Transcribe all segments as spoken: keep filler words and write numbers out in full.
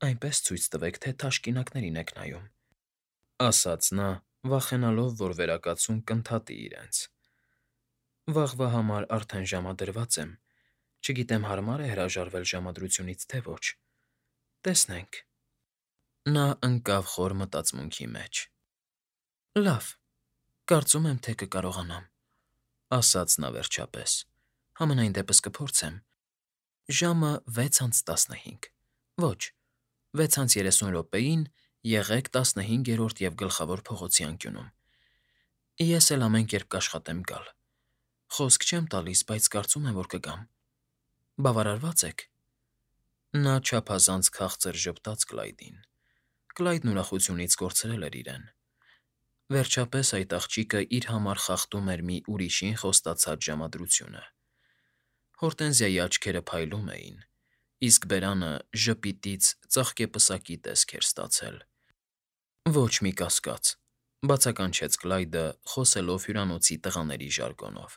այնպես ցույց տվեք, թե թաշկինակներին եք նայում,֊ ասաց նա, վախենալով, որ վերակացուն կընդհատի իրենց։ Վաղվա համար արդեն ժամադրված եմ, չգիտեմ հարմա՞ր է հրաժարվել ժամադրությունից, թե ոչ… Տեսնենք… Նա ընկավ խոր մտածմունքի մեջ։ Լավ, կարծում եմ, թե կկարողանամ,֊ ասաց նա վերջապես, համենայն դեպս կփորձեմ… Ժամը վեց անց տասնհինգ, ոչ, վեց անց երեսուն րոպեին եղեք տասնհինգերորդ և Գլխավոր փողոցի անկյունում… Ես էլ ամեն կերպ կաշխատեմ գալ… Խոսք չեմ տալիս, բայց կարծում եմ, որ կգամ… Բավարարվա՞ծ եք… Նա չափազանց քաղցր ժպտաց Կլայդին։ Կլայդն ուրախությունից կորցրել էր իրեն… Վերջապես այդ աղջիկը իր համար խախտում էր մի ուրիշին խոստացած ժամադրությունը… Հորտենզիայի աչքերը փայլում էին, իսկ բերանը ժպիտից ծաղկեպսակի տեսք էր ստացել։ Ոչ մի կասկած,֊ բացականչեց Կլայդը՝ խոսելով հյուրանոցի տղաների ժարգոնով,֊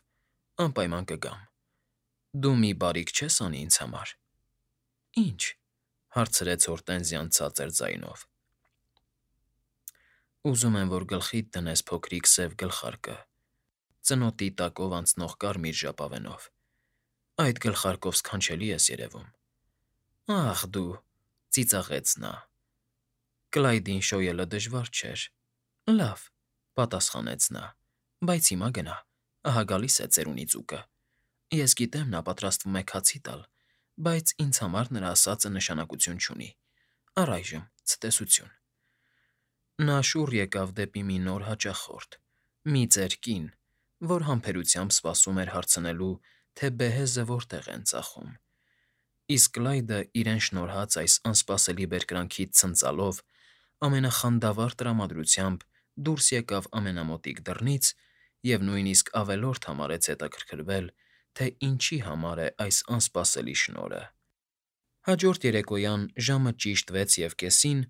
անպայման կգամ… Դու մի բարիք չես անի ինձ համար… Ի՞նչ,֊ հարցրեց Հորտենզիան ցածր ձայնով։ Ուզում եմ, որ գլխիդ դնես փոքրիկ սև գլխարկը, ծնոտի տակով անցնող կարմիր ժապավենով… Այդ գլխարկով սքանչելի ես երևում… Ախ դու,֊ ծիծաղեց նա։ Կլայդին շոյելը դժվար չէր։ Լավ,֊ պատասխանեց նա,֊ բայց հիմա գնա, ահա գալիս է ծերունի ձուկը… Ես գիտեմ, նա պատրաստվում է քացի տալ, բայց ինձ համար նրա ասածը նշանակություն չունի… Առայժմ ցտեսություն… Նա շուռ եկավ դեպի մի նոր հաճախորդ, մի ծեր կին, որ համբերությամբ սպասում էր հարցնելու, թե բեհեզը որտեղ են ծախում… Իսկ Կլայդը իրեն շնորհած այս անսպասելի բերկրանքից ցնծալով ամենախանդավառ տրամադրությամբ դուրս եկավ ամենամոտիկ դռնից և նույնիսկ ավելորդ համարեց հետաքրքրվել, թե ինչի համար է այս անսպասելի շնորհը։ Հաջորդ երեկոյան ժամը ճիշտ վեց և կեսին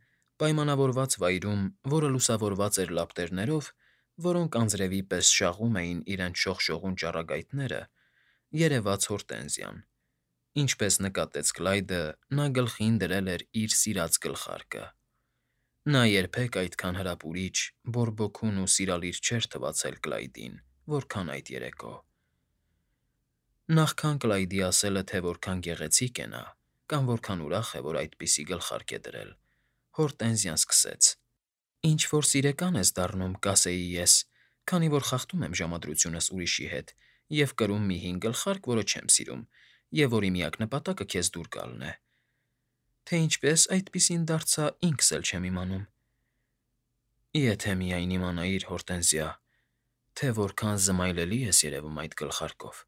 պայմանավորված վայրում, որը լուսավորված էր լապտերներով, որոնք անձրևի պես շաղում էին իրենց շողշողուն ճառագայթները, երևաց Հորտենզիան։ Ինչպես նկատեց Կլայդը, նա գլխին դրել էր իր սիրած գլխարկը։ Նա երբեք այդքան հրապուրիչ, բորբոքուն ու սիրալիր չէր թվացել Կլայդին, որքան այդ երեկո… Նախքան Կլայդի ասելը, թե որքան գեղեցիկ է նա, կամ որքան ուրախ է, որ այդպիսի գլխարկ է դրել, Հորտենզիան սկսեց. Ինչ֊որ սիրեկան ես դառնում, կասեի ես, քանի որ խախտում եմ ժամադրությունս ուրիշի հետ և կրում մի հին գլխարկ, որը չեմ սիրում, և որի միակ նպատակը քեզ դուր գալն է… Թե ինչպես այդպիսին դարձա, ինքս էլ չեմ իմանում… Եթե միայն իմանայիր, Հորտենզիա, թե որքան զմայլելի ես երևում այդ գլխարկով…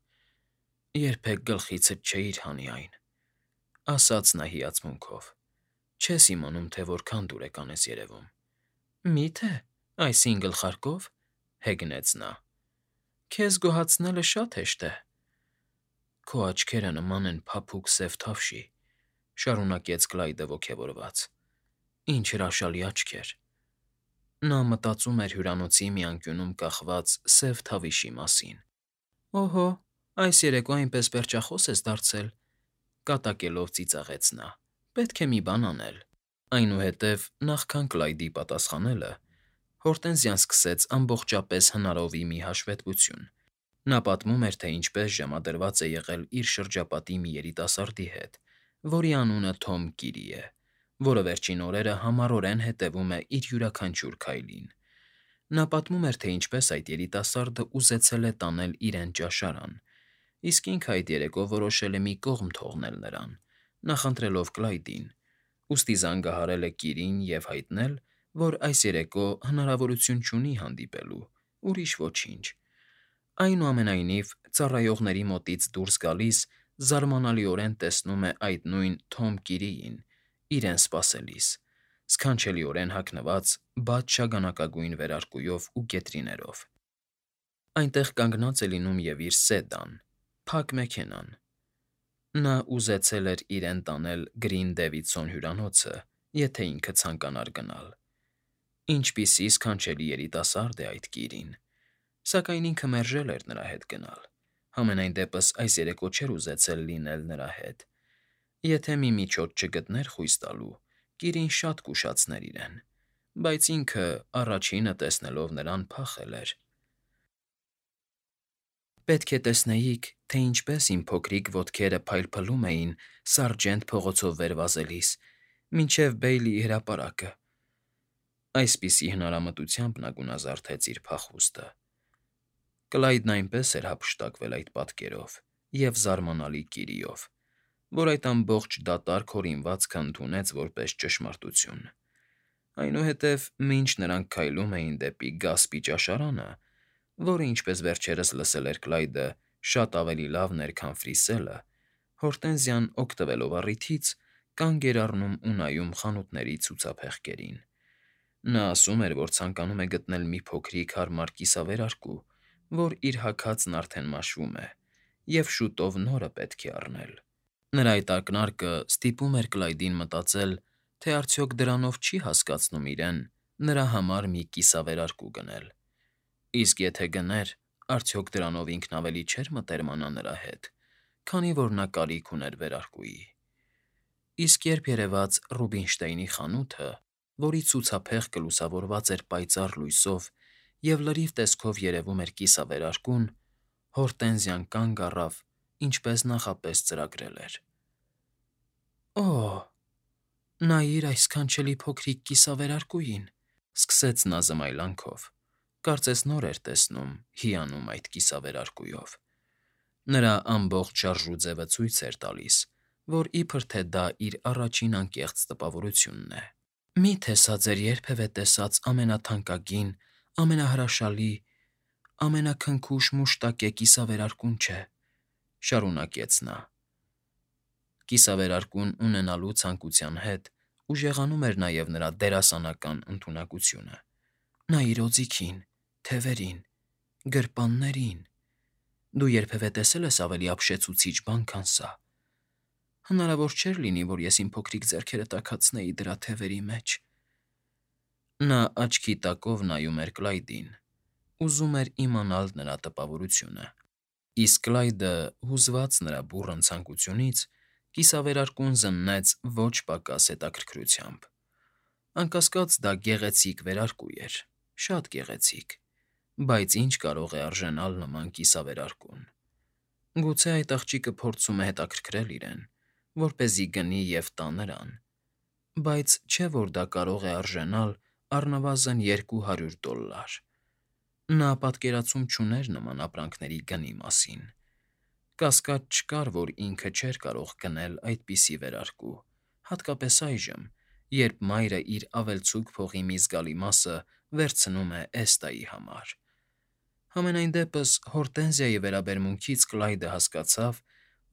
Երբեք գլխիցդ չէիր հանի այն,֊ ասաց նա հիացմունքով,֊ չես իմանում, թե որքան դուրեկան ես երևում… Մի՞թե այս հին գլխարկով,֊ հեգնեց նա,֊ Քեզ գոհացնելը շատ հեշտ է… Քո աչքերը նման են փափուկ սև թավշի,֊ շարունակեց Կլայդը ոգևորված,֊ Ինչ հրաշալի աչքեր… Նա մտածում էր հյուրանոցի մի անկյունում կախված սև թավիշի մասին։ Օհո, այս երեկո այնպես պերճախոս ես դարձել,֊ կատակելով ծիծաղեց նա,֊ Պետք է մի բան անել… Այնուհետև նախքան Կլայդի պատասխանելը, Հորտենզիան սկսեց ամբողջապես հնարովի մի հաշվետվություն։ Նա պատմում էր, թե ինչպես ժամադրված է եղել իր շրջապատի մի երիտասարդի հետ, որի անունը Թոմ Կիրի է, որը վերջին օրերը համառորեն հետևում է իր յուրաքանչյուր քայլին։ Նա պատմում էր, թե ինչպես այդ երիտասարդը ուզեցել է տանել իրեն ճաշարան, իսկ ինքը այդ երեկո որոշել է մի կողմ թողնել նրան, նախընտրելով Կլայդին, ուստի զանգահարել է Կիրին և հայտնել, որ այս երեկո հնարավորություն չունի հանդիպելու, ուրիշ ոչինչ։ Այնուամենայնիվ, ծառայողների մոտից դուրս գալիս զարմանալիորեն տեսնում է այդ նույն Թոմ Կիրիին, իրեն սպասելիս, սքանչելիորեն հագնված բաց շագանակագույն վերարկուով ու կետրիներով։ Այնտեղ կանգնած է լինում և իր սեդան, փակ մեքենան։ Նա ուզեցել էր իրեն տանել Գրին Դեվիդսոն հյուրանոցը, եթե ինքը ցանկանար գնալ։ Ինչպիսի սքանչելի երիտասարդ է այդ Կիրին… Սակայն ինքը մերժել էր նրա հետ գնալ, համենայն դեպս այս երեկո չէր ուզեցել լինել նրա հետ։ Եթե մի միջոց չգտներ խույս տալու, Կիրին շատ կուշացներ իրեն, բայց ինքը, առաջինը տեսնելով նրան, փախել էր։ Պետք է տեսնեիք, թե ինչպես իմ փոքրիկ ոտքերը փայլփլում էին Սարջենտ փողոցով վեր վազելիս, մինչև Բեյլիի հրապարակը։ Այսպիսի հնարամտությամբ նա գունազարդեց իր փախուստը։ Կլայդն այնպես էր հափշտակվել այդ պատկերով և զարմանալի կիրիով, որ այդ ամբողջ դատարկ հորինվածքը ընդունեց որպես ճշմարտություն։ Այնուհետև, մինչ նրանք քայլում էին դեպի գասպի ճաշարանը, որը, ինչպես վերջերս լսել էր Կլայդը, շատ ավելի լավն էր, քան Ֆրիսելը, Հորտենզիան, օգտվելով առիթից, կանգ էր առնում ու նայում խանութների ցուցափեղկերին։ Նա ասում էր, որ ցանկանում է գտնել մի փոքրիկ հարմար կիսավերարկու, որ իր հագածն արդեն մաշվում է, և շուտով նորը պետք է առնել։ Նրա այդ ակնարկը ստիպում էր Կլայդին մտածել, թե արդյոք դրանով չի հասկացնում իրեն նրա համար մի կիսավերարկու գնել։ Իսկ եթե գներ, արդյոք դրանով ինքն ավելի չէր մտերմանա նրա հետ, քանի որ նա կարիք ուներ վերարկուի։ Իսկ երբ երևաց Ռուբինշտեյնի խանութը, որի ցուցափեղկը լուսավորված էր պայծառ լույսով և լրիվ տեսքով երևում էր կիսավերարկուն, Հորտենզիան կանգ առավ, ինչպես նախապես ծրագրել էր։ «Օ՜, նայիր այս քանչելի փոքրիկ կիսավերարկուին», ֊ սկսեց նա զմայլանքով, կարծես նոր էր տեսնում, հիանում այդ կիսավերարկուով։ Նրա ամբողջ շարժուձևը ցույց էր տալիս, որ իբր թե դա իր առաջին անկեղծ տպավորությունն է։ «Մի՞թե սա ձեր երբևէ տեսած ամենաթանկագին, ամենահրաշալի, ամենաքնքուշ մուշտակե կիսավերարկուն չէ», ֊ շարունակեց նա։ Կիսավերարկուն ունենալու ցանկության հետ ուժեղանում էր նաև նրա դերասանական ընդունակությունը։ «Նայիր օձիքին, թևերին, գրպաններին… Դու երբևէ տեսե՞լ ես ավելի ապշեցուցիչ բան, քան սա… Հնարավոր չէր լինի, որ ես իմ փոքրիկ ձեռքերը տաքացնեի դրա թևերի մեջ»։ Նա աչքի տակով նայում էր Կլայդին, ուզում էր իմանալ նրա տպավորությունը։ Իսկ Կլայդը, հուզված նրա բուռն ցանկությունից, կիսավերարկուն զննեց ոչ պակաս հետաքրքրությամբ։ Անկասկած, դա գեղեցիկ վերարկու էր, շատ գեղեցիկ, բայց ի՞նչ կարող է արժենալ նման կիսավերարկուն։ Գուցե այդ աղջիկը փորձում է հետաքրքրել իրեն, որպեսզի գնի և տա նրան, բայց չէ՞ որ դա կարող է արժենալ առնվազն երկու հարյուր դոլլար։ Նա պատկերացում չուներ նման ապրանքների գնի մասին։ Կասկած չկար, որ ինքը չէր կարող գնել այդպիսի վերարկու, հատկապես այժմ, երբ մայրը իր ավելցուկ փողի մի զգալի մասը վերցնում է Էստայի համար։ Համենայն դեպս, Հորտենզիայի վերաբերմունքից Կլայդը հասկացավ,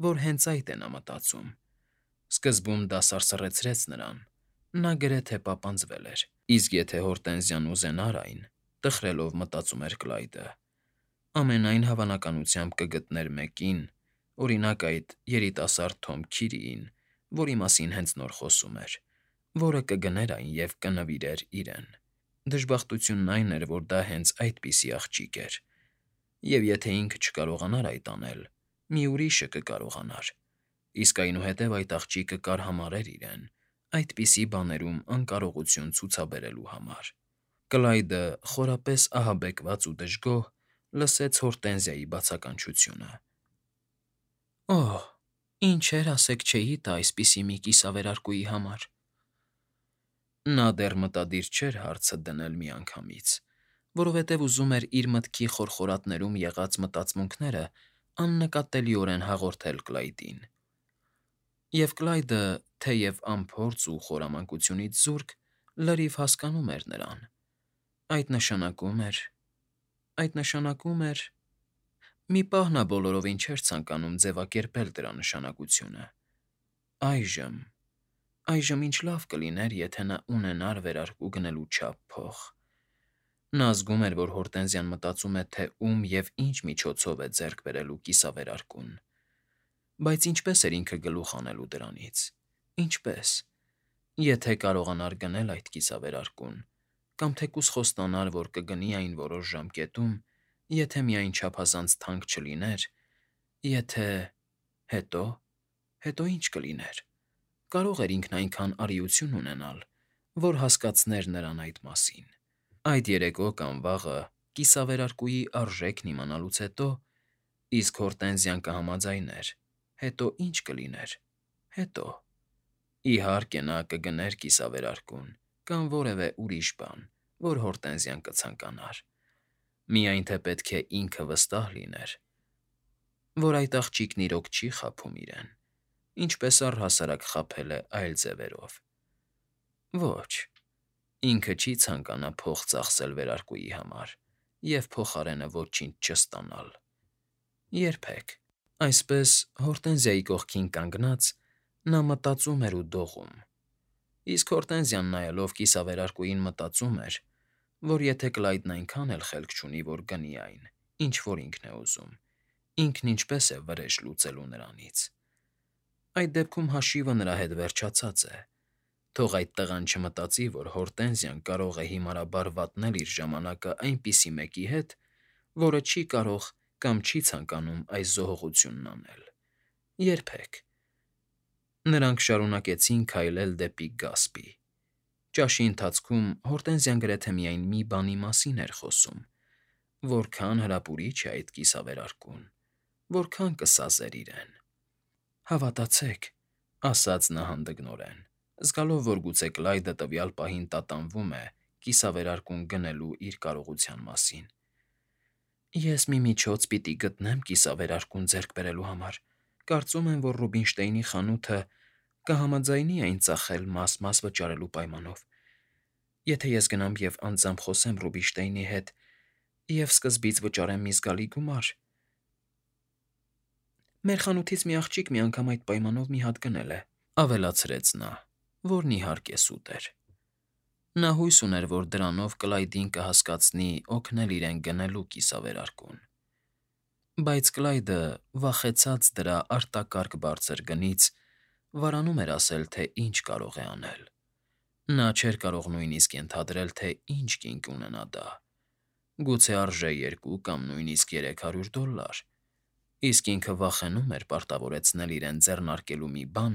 որ հենց այդ է նա մտածում։ Սկզբում դա սարսռեցրեց նրան, նա գրեթե պապանձվել էր։ Իսկ եթե Հորտենզիան ուզենար այն, տխրելով մտածում էր Կլայդը, ամենայն հավանականությամբ կգտներ մեկին, օրինակ, այդ երիտասարդ Թոմ Քիրիին, որի մասին հենց նոր խոսում էր, որը կգներ այն և կնվիրեր իրեն։ Դժբախտությունն այն էր, որ դա հենց այդպիսի աղջիկ էր, և եթե ինքը չկարողանար այդ անել, մի ուրիշը կկարողանար, իսկ այնուհետև այդ աղջիկը կարհամարհեր իրեն այդպիսի բաներում անկարողություն ցուցաբերելու համար։ Կլայդը, խորապես ահաբեկված ու դժգոհ, լսեց Հորտենզիայի բացականչությունը։ «Օհ, ինչեր ասեք չէի տա այսպիսի մի կիսավերարկուի համար»։ Նա դեռ մտադիր չէր հարցը դնել միանգամից, որովհետև ուզում էր իր մտքի խորխորատներում եղած մտածմունքները աննկատելիորեն հաղորդել Կլայդին։ Եվ Կլայդը, թեև անփորձ ու խորամանկությունից զուրկ, լրիվ հասկանում էր նրան։ Այդ նշանակում էր… այդ նշանակում էր… Մի պահ նա բոլորովին չէր ցանկանում ձևակերպել դրա նշանակությունը։ Այժմ… այժմ ինչ լավ կլիներ, եթե նա ունենար վերարկու գնելու չափ փող։ Նա զգում էր, որ Հորտենզիան մտածում է, թե ում և ինչ միջոցով է ձեռք բերելու կիսավերարկուն։ Բայց ինչպե՞ս էր ինքը գլուխ հանելու դրանից, ինչպե՞ս… Եթե կարողանար գնել այդ կիսավերարկուն, կամ թեկուզ խոստանար, որ կգնի այն որոշ ժամկետում, եթե միայն չափազանց թանկ չլիներ, եթե… հետո… հետո ի՞նչ կլիներ։ կարող էր ինքն այնքան արիություն ունենալ, որ հասկացներ նրան այդ մասին։ Այդ երեկո կամ վաղը կիսավերարկուի արժեքն իմանալուց հետո, իսկ Հորտենզիան կհամաձայներ, հետո ի՞նչ կլիներ, հետո… Իհարկե նա կգներ կիսավերարկուն կամ որևէ ուրիշ բան, որ Հորտենզիան կցանկանար, միայն թե պետք է ինքը վստահ լիներ, որ այդ աղջիկն իրոք չի խաբում իրեն, ինչպես առհասարակ խաբել է այլ ձևերով։ Ոչ, ինքը չի ցանկանա փող ծախսել վերարկուի համար և փոխարենը ոչինչ չստանալ։ Երբեք։ Այսպես, Հորտենզիայի կողքին կանգնած, նա մտածում էր ու դողում, իսկ Հորտենզիան նայելով կիսավերարկուին մտածում էր, որ եթե Կլայդն այնքան էլ խելք չունի, որ գնի այն, ինչ որ ինքն է ուզում, ինքն ինչպես է վրեժ լուծելու նրանից։ Այդ դեպքում հաշիվը նրա հետ վերջացած է։ Թող այդ տղան չմտածի, որ Հորտենզիան կարող է հիմարաբար վատնել իր ժամանակը այնպիսի մեկի հետ, որը չի կարող կամ չի ցանկանում այս զոհողությունն անել։ Երբեք։ Նրանք շարունակեցին քայլել դեպի գասպի։ Ճաշի ընթացքում Հորտենզիան գրեթե միայն մի բանի մասին էր խոսում. որքան հրապուրիչ է այդ կիսավերարկուն, որքան կսազեր իրեն։ Հավատացեք, ասաց նա հանդգնորեն, զգալով, որ գուցե Կլայդը տվյալ պահին տատանվում է կիսավերարկուն գնելու իր կարողության մասին։ Ես մի միջոց պիտի գտնեմ կիսավերարկուն ձեռք բերելու համար, կարծում եմ, որ Ռուբինշտեյնի խանութը կհամաձայնի այն ծախել մաս֊մաս վճարելու պայմանով, եթե ես գնամ և անձամբ խոսեմ Ռուբինշտեյնի հետ և սկզբից վճարեմ մի զգալի գումար… Մեր խանութից մի աղջիկ մի անգամ այդ պայմանով մի հատ գնել է,֊ ավելացրեց նա, որն իհարկե սուտ էր։ Նա հույս ուներ, որ դրանով Կլայդին կհասկացնի օգնել իրեն գնելու կիսավերարկուն։ Բայց Կլայդը, վախեցած դրա արտակարգ բարձր գնից, վարանում էր ասել, թե ինչ կարող է անել։ Նա չէր կարող նույնիսկ ենթադրել, թե ինչ կին կունենա դա։ Գուցե արժե երկու կամ նույնիսկ երեք հարյուր դոլլար, իսկ ինքը վախենում էր պարտավորեցնել իրեն ձեռնարկելու մի բան,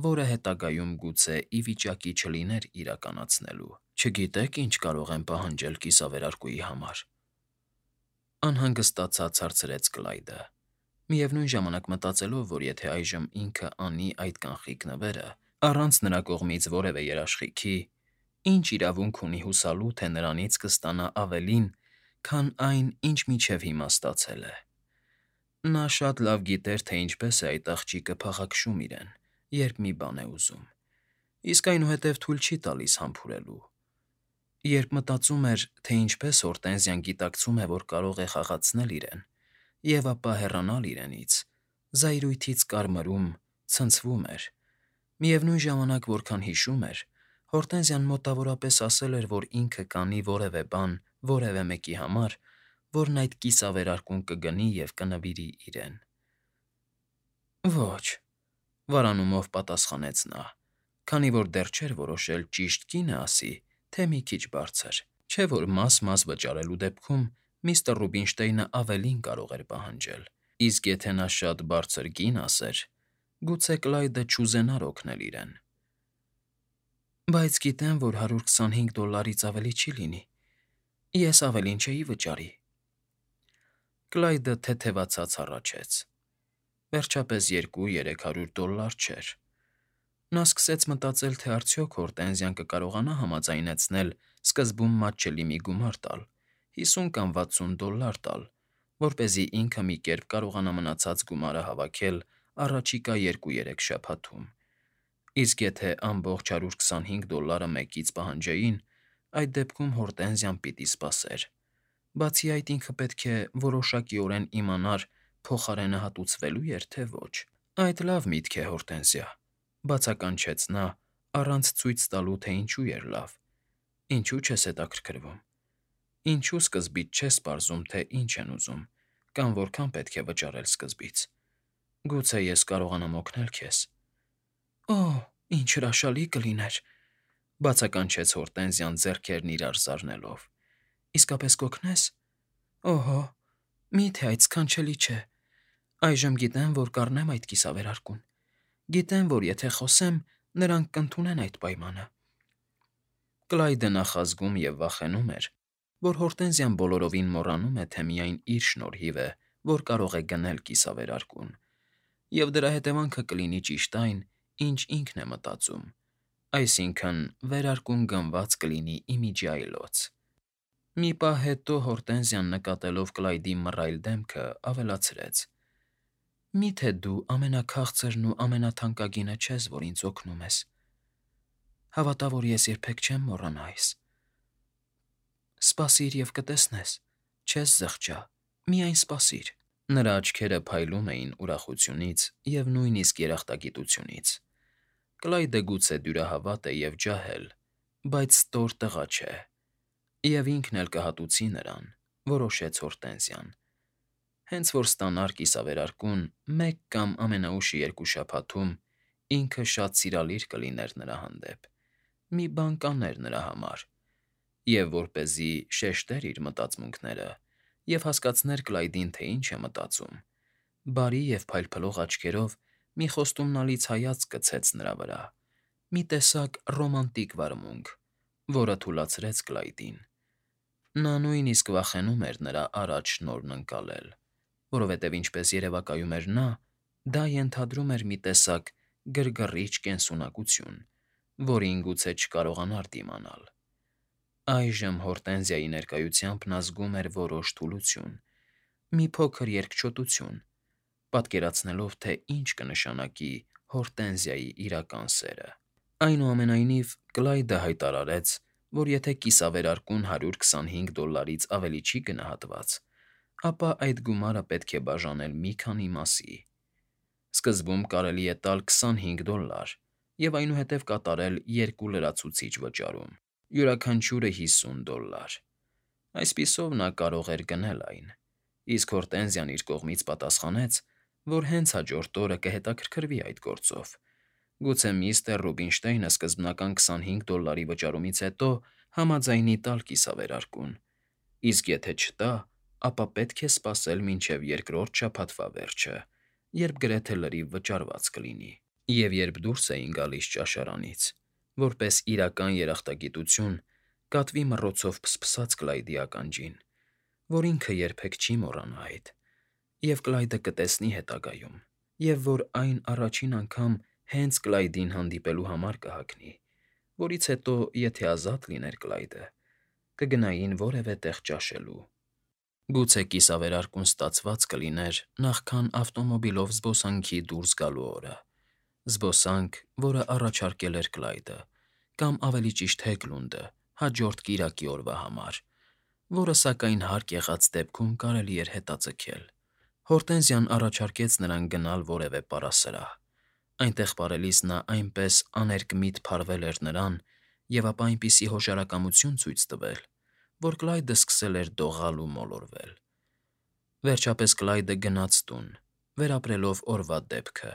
որը հետագայում գուցե ի վիճակի չլիներ իրականացնելու։ Չգիտեք, ինչ կարող եմ պահանջել կիսավերարկուի համար,֊ անհանգստացած հարցրեց Կլայդը, միևնույն ժամանակ մտածելով, որ եթե այժմ ինքը անի այդ կանխիկ նվերը, առանց նրա կողմից որևէ երաշխիքի, ինչ իրավունք ունի հուսալու, թե նրանից կստանա ավելին, քան այն, ինչ մինչև հիմա ստացել է։ Նա շատ լավ գիտեր, թե ինչպես է այդ աղջիկը փաղաքշում իրեն, երբ մի բան է ուզում, իսկ այնուհետև թույլ չի տալիս համբուրելու։ Երբ մտածում էր, թե ինչպես Հորտենզիան գիտակցում է, որ կարող է խաղացնել իրեն, և ապա հեռանալ իրենից, զայրույթից կարմրում, ցնցվում էր։ Միևնույն ժամանակ, որքան հիշում էր, Հորտենզիան մոտավորապես ասել էր, որ ինքը կանի որևէ բան որևէ մեկի համար, որն այդ կիսավերարկուն կգնի և կնվիրի իրեն։ Ոչ,֊ վարանումով պատասխանեց նա, քանի որ դեռ չէր որոշել ճիշտ կինը ասի, թե մի քիչ բարձր, չէ՞ որ մաս֊մաս վճարելու դեպքում միստր Ռուբինշտեյնը ավելին կարող էր պահանջել, իսկ եթե նա շատ բարձր կին ասեր, գուցե Կլայդը չուզենար օգնել իրեն։ Բայց գիտեմ, որ հարյուր քսանհինգ դոլլարից ավելի չի լինի, ես ավելին չէի վճարի։ Կլայդը թեթևացած հառաչեց. Վերջապես երկու֊երեք հարյուր դոլլար չէր։ Նա սկսեց մտածել, թե արդյոք Հորտենզիան կկարողանա համաձայնեցնել սկզբում մատչելի մի գումար տալ, հիսուն կամ վաթսուն դոլլար տալ, որպեսզի ինքը մի կերպ կարողանա մնացած գումարը հավաքել առաջիկա երկու֊երեք շաբաթում, իսկ եթե ամբողջ հարյուր քսանհինգ դոլլարը մեկից պահանջեին, այդ դեպքում Հորտենզիան պիտի սպասեր։ Բացի այդ, ինքը պետք է որոշակիորեն իմանար փոխարենը հատուցվելո՞ւ էր, թե ոչ։ Այդ լավ միտք է, Հորտենզիա,֊ բացականչեց նա, առանց ցույց տալու, թե ինչու էր լավ։ Ինչու՞ չես հետաքրքրվում։ Ինչու սկզբից չես պարզում, թե ինչ են ուզում, կամ որքան պետք է վճարել սկզբից։ Գուցե ես կարողանամ օգնել քեզ։ Օ՜, ինչ հրաշալի կլիներ,֊ բացականչեց Հորտենզիան ձեռքերն իրար զարնելով։ Իսկապես կօգնե՞ս։ Օհո, մի՞թե այդ սքանչելի չէ։ Այժմ գիտեմ, որ կառնեմ այդ կիսավերարկուն։ Գիտեմ, որ եթե խոսեմ, Նրանք կընդունեն այդ պայմանը։ Կլայդը նախազգում և վախենում էր, որ Հորտենզիան բոլորովին մոռանում է, թե միայն իր շնորհիվ է, որ կարող է գնել կիսավերարկուն, և դրա հետևանքը կլինի ճիշտ այն, ինչ ինքն է մտածում, այսինքն՝ վերարկուն գնված կլինի ի միջի այլոց։ Մի պահ հետո Հորտենզիան, նկատելով Կլայդի մռայլ դեմքը, ավելացրեց. «Մի՞թե դու ամենաքաղցրն ու ամենաթանկագինը չես, որ ինձ օգնում ես։ Հավատա, որ ես երբեք չեմ մոռանա այս։ Սպասիր և կտեսնես, չես զղջա, միայն սպասիր»։ Նրա աչքերը փայլում էին ուրախությունից և նույնիսկ երախտագիտությունից։ Կլայդը գուցե դյուրահավատ է և ջահել, բայց ստոր տղա չէ, և ինքն էլ կհատուցի նրան, որոշեց Հորտենզիան։ Հենց որ ստանար կիսավերարկուն մեկ կամ ամենաուշ երկու շաբաթում, ինքը շատ սիրալիր կլիներ նրա հանդեպ, մի բան կաներ նրա համար, և որպեսզի շեշտեր իր մտածմունքները և հասկացներ Կլայդին, թե ինչ է մտածում, բարի և փայլփլող աչքերով մի խոստումնալից հայացք գցեց նրա վրա, մի տեսակ ռոմանտիկ վարմունք, որը թուլացրեց Կլայդին։ Նա նույնիսկ վախենում էր նրա առաջ շնորհն ընկալել, որովհետև, ինչպես երևակայում էր նա, դա ենթադրում էր մի տեսակ գրգռիչ կենսունակություն, որին գուցե չկարողանար դիմանալ։ Այժմ Հորտենզիայի ներկայությամբ նա զգում էր որոշ թուլություն, մի փոքր երկչոտություն, պատկերացնելով, թե ինչ կնշանակի Հորտենզիայի իրական սերը։ Այնուամենայնիվ, Կլայդը հայտարարեց, որ եթե կիսավերարկուն հարյուր քսանհինգ դոլարից ավելի չի գնահատված, ապա այդ գումարը պետք է բաժանել մի քանի մասի։ Սկզբում կարելի է տալ քսանհինգ դոլար և այնուհետև կատարել երկու լրացուցիչ վճարում, յուրաքանչյուրը հիսուն դոլար։ Այսպիսով նա կարող էր գնել այն, իսկ Հորտենզիան իր կողմից պատասխանեց, որ հենց հաջորդ օրը կհետաքրքրվի այդ գործով։ Գուցե միստր Ռուբինշտեյնը սկզբնական քսանհինգ դոլարի վճարումից հետո համաձայնի տալ կիսավերարկուն, իսկ եթե չտա, ապա պետք է սպասել մինչև երկրորդ շաբաթվա վերջը, երբ գրեթե լրիվ վճարված կլինի։ Եվ երբ դուրս էին գալիս ճաշարանից, որպես իրական երախտագիտություն, կատվի մռոցով փսփսաց Կլայդի ականջին, որ ինքը երբեք չի մոռանա այդ, և Կլայդը կտեսնի հետագայում, և որ այն առաջին անգամ հենց Կլայդին հանդիպելու համար կհագնի, որից հետո, եթե ազատ լիներ Կլայդը, կգնային որևէ տեղ ճաշելու։ Գուցե կիսավերարկուն ստացված կլիներ նախքան ավտոմոբիլով զբոսանքի դուրս գալու օրը, զբոսանք, որը առաջարկել էր Կլայդը, կամ ավելի ճիշտ Հեգլունդը հաջորդ կիրակի օրվա համար, որը, սակայն, հարկ եղած դեպքում կարելի էր հետաձգել։ Հորտենզիան առաջարկեց նրան գնալ որևէ պարասրահ։ Այնտեղ պարելիս նա այնպես աներկմիտ փարվել էր նրան և ապա այնպիսի հոժարակամություն ցույց տվել, որ Կլայդը սկսել էր դողալ ու մոլորվել։ Վերջապես Կլայդը գնաց տուն, վերապրելով օրվա դեպքը,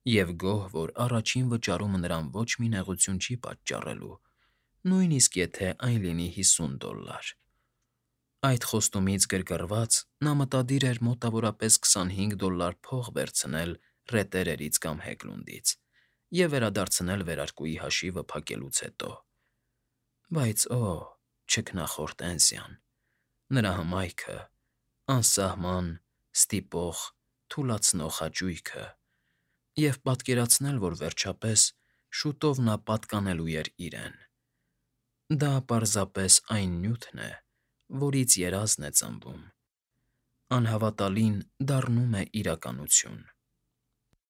և գոհ, որ առաջին վճարումը նրան ոչ մի նեղություն չի պատճառելու, նույնիսկ եթե այն լինի հիսուն դոլար։ Այդ խոստումից գրգռված՝ նա մտադիր էր մոտավորապես քսանհինգ դոլար փող վերցնել ռետերերից կամ Հեգլունդից և վերադարձնել վերարկուի հաշիվը փակելուց հետո։ Բայց օ՜, չքնաղ Հորտենզիան, նրա հմայքը, անսահման, ստիպող, թուլացնող հաճույքը, և պատկերացնել, որ, վերջապես, շուտով նա պատկանելու էր իրեն։ Դա պարզապես այն նյութն է, որից երազն է ծնվում, անհավատալին դառնում է իրականություն։